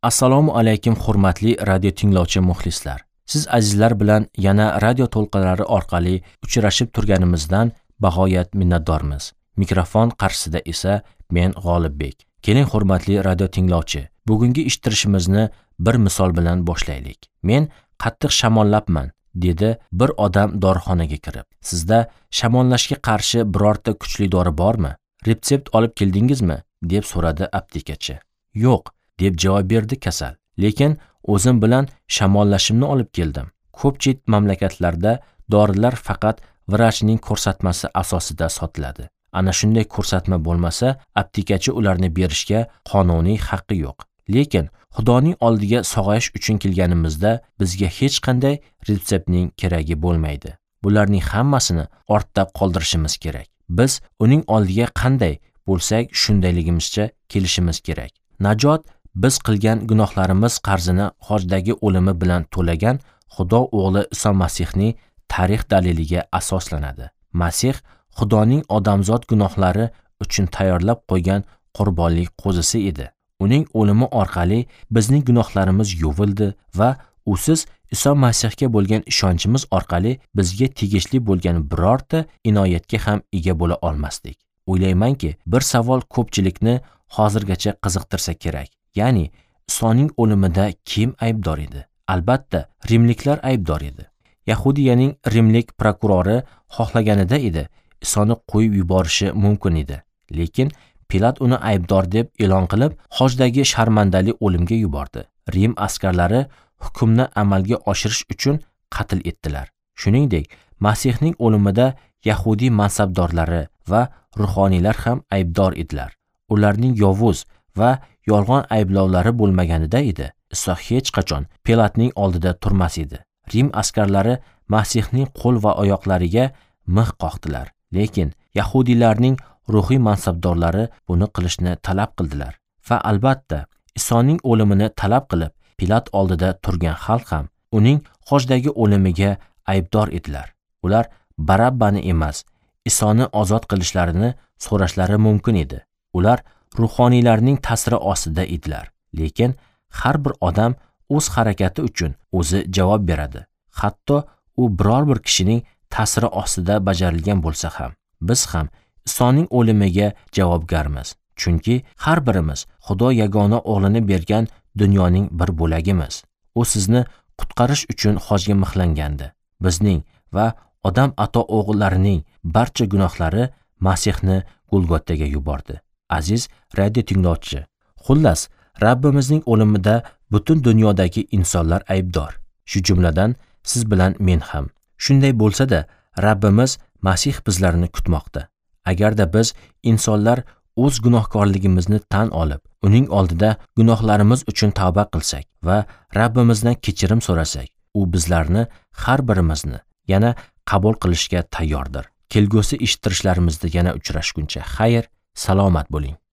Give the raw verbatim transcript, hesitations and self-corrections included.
Assalomu alaykum hurmatli radio tinglovchi muxlislar. Siz azizlar bilan yana radio to'lqinlari orqali uchrashib turganimizdan bag'oyat minnatdormiz. Mikrofon qarshisida esa men G'olibbek. Keling hurmatli radio tinglovchi, bugungi eshittirishimizni bir misol bilan boshlaylik. Men qattiq shamollabman, dedi bir odam dorixonaga kirib. Sizda shamollashga qarshi birorta kuchli dori bormi? Retsept olib keldingizmi? Deb so'radi aptekachi. Yo'q, deb javob berdi kasal. Lekin o'zim bilan shamollashimni olib keldim. Ko'pchilik mamlakatlarda dorilar faqat vrachning ko'rsatmasi asosida sotiladi. Ana shunday ko'rsatma bo'lmasa, aptekachi ularni berishga qonuniy haqqi yo'q. Lekin Xudoning oldiga sog'ayish uchun kelganimizda bizga hech qanday retseptning keragi bo'lmaydi. Bularning hammasini ortda qoldirishimiz kerak. Biz uning oldiga qanday bo'lsak, shundayligimizcha kelishimiz kerak. Najot biz qilgan gunohlarimiz qarzini xojdagi o'limi bilan to'lagan Xudo o'g'li Iso Masihning tarix daliliga asoslanadi. Masih Xudoning odamzod gunohlari uchun tayyorlab qo'ygan qurbonlik qo'zisi edi. Uning o'limi orqali bizning gunohlarimiz yuvildi va usiz Iso Masihga bo'lgan ishonchimiz orqali bizga tegishli bo'lgan birorta inoyatga ham ega bo'la olmasdik. O'ylaymanki, bir savol ko'pchilikni hozirgacha qiziqtirsa kerak. Ya'ni Isoning o'limida kim aybdor edi? Albatta, rimliklar aybdor edi. Yahudiyaning rimlik prokurori xohlaganida edi Isoni qo'yib yuborishi mumkin edi. Lekin Pilat uni aybdor deb e'lon qilib, xojdagi sharmandali o'limga yubordi. Rim askarlari hukmni amalga oshirish uchun qatl etdilar. Shuningdek, Masihning o'limida yahudiy mansabdorlari va ruhoniylar ham aybdor edilar. Ularning yovuz va yolg'on ayblovlari bo'lmaganida edi, Iso hech qachon Pilatning oldida turmas edi. Rim askarlari Masihning qo'l va oyoqlariga mix qoqdilar. Lekin yahudiylarning ruhiy mansabdorlari buni qilishni talab qildilar. Va albatta, Isoning o'limini talab qilib, Pilat oldida turgan xalq ham uning xojdagi o'limiga aybdor edilar. Ular Barabbani emas, Isoni ozod qilishlarini so'rashlari mumkin edi. Ular ruhoniylarning ta'siri ostida edilar. Lekin har bir odam o'z harakati uchun o'zi javob beradi. Hatto u biror bir kishining ta'siri ostida bajarilgan bo'lsa ham, biz ham Isoning o'limiga javobgarmiz. Chunki har birimiz Xudo yagona o'g'lini bergan dunyoning bir bo'lagimiz. U sizni qutqarish uchun xojga mixlangandi. Bizning va odam ato o'g'illarining barcha gunohlari Masihni Golgotaga yubordi. Aziz radio tinglovchi, xullas, Rabbimizning o'limida butun dunyodagi insonlar aybdor. Shu jumladan siz bilan men ham. Shunday bo'lsa-da, Rabbimiz Masih bizlarni kutmoqda. Agarda biz insonlar o'z gunohkorligimizni tan olib, uning oldida gunohlarimiz uchun tavba qilsak va Rabbimizdan kechirim so'rasak, u bizlarni har birimizni yana qabul qilishga tayyordir. Kelgusi eshittirishlarimizda yana uchrashguncha xayr, salomat bo'ling.